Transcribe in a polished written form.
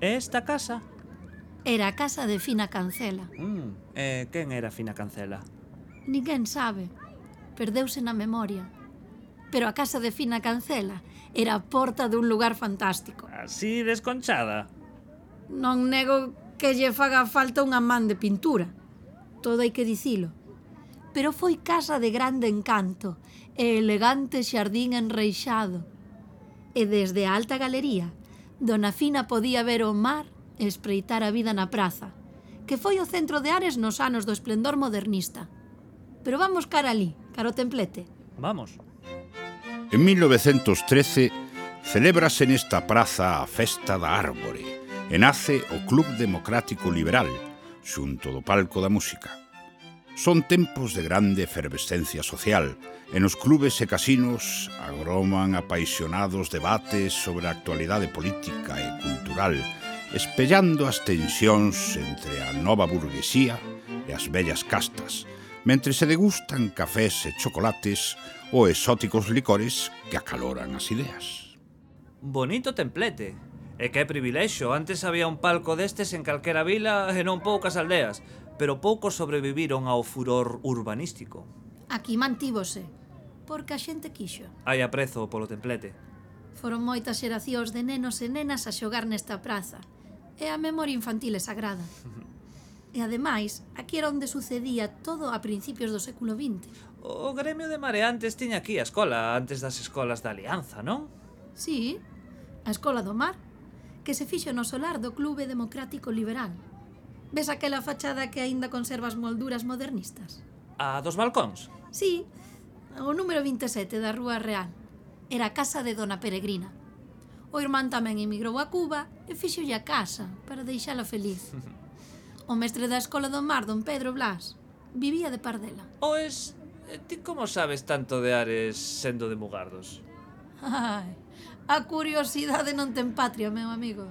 E esta casa? Era a casa de Fina Cancela. Quen era Fina Cancela? Ninguén sabe. Perdeuse na memoria. Pero a casa de Fina Cancela era a porta dun lugar fantástico. Así desconchada? Non nego que lle faga falta unha man de pintura. Todo hai que dicilo. Pero foi casa de grande encanto e elegante xardín enreixado. E desde a alta galería, dona Fina podía ver o mar e espreitar a vida na praza, que foi o centro de Ares nos anos do esplendor modernista. Pero vamos cara ali, cara o templete. Vamos. En 1913 celébrase nesta praza a Festa da Árbore e nace o Club Democrático Liberal, xunto do Palco da Música. Son tempos de grande efervescencia social e nos clubes e casinos agroman apaixonados debates sobre a actualidade política e cultural, espellando as tensións entre a nova burguesía e as vellas castas, mentre se degustan cafés e chocolates ou exóticos licores que acaloran as ideas. Bonito templete. E que privilexio, antes había un palco destes en calquera vila e non poucas aldeas, pero poucos sobreviviron ao furor urbanístico. Aquí mantívose, porque a xente quixo. Hai aprezo polo templete. Foron moitas xeracións de nenos e nenas a xogar nesta praza, e a memoria infantil é sagrada. E ademais, aquí era onde sucedía todo a principios do século XX. O gremio de mareantes tiña aquí a escola antes das escolas da Alianza, non? Sí, a Escola do Mar, que se fixo no solar do Clube Democrático Liberal. Ves aquela fachada que aínda conserva as molduras modernistas? A dos balcóns? Sí, o número 27 da Rúa Real. Era a casa de Dona Peregrina. O irmán tamén emigrou a Cuba e fixolle a casa para deixala feliz. O mestre da Escola do Mar, don Pedro Blas, vivía de Pardela. Oes, ti como sabes tanto de Ares sendo de Mugardos? Ai, a curiosidade non ten patria, meu amigo.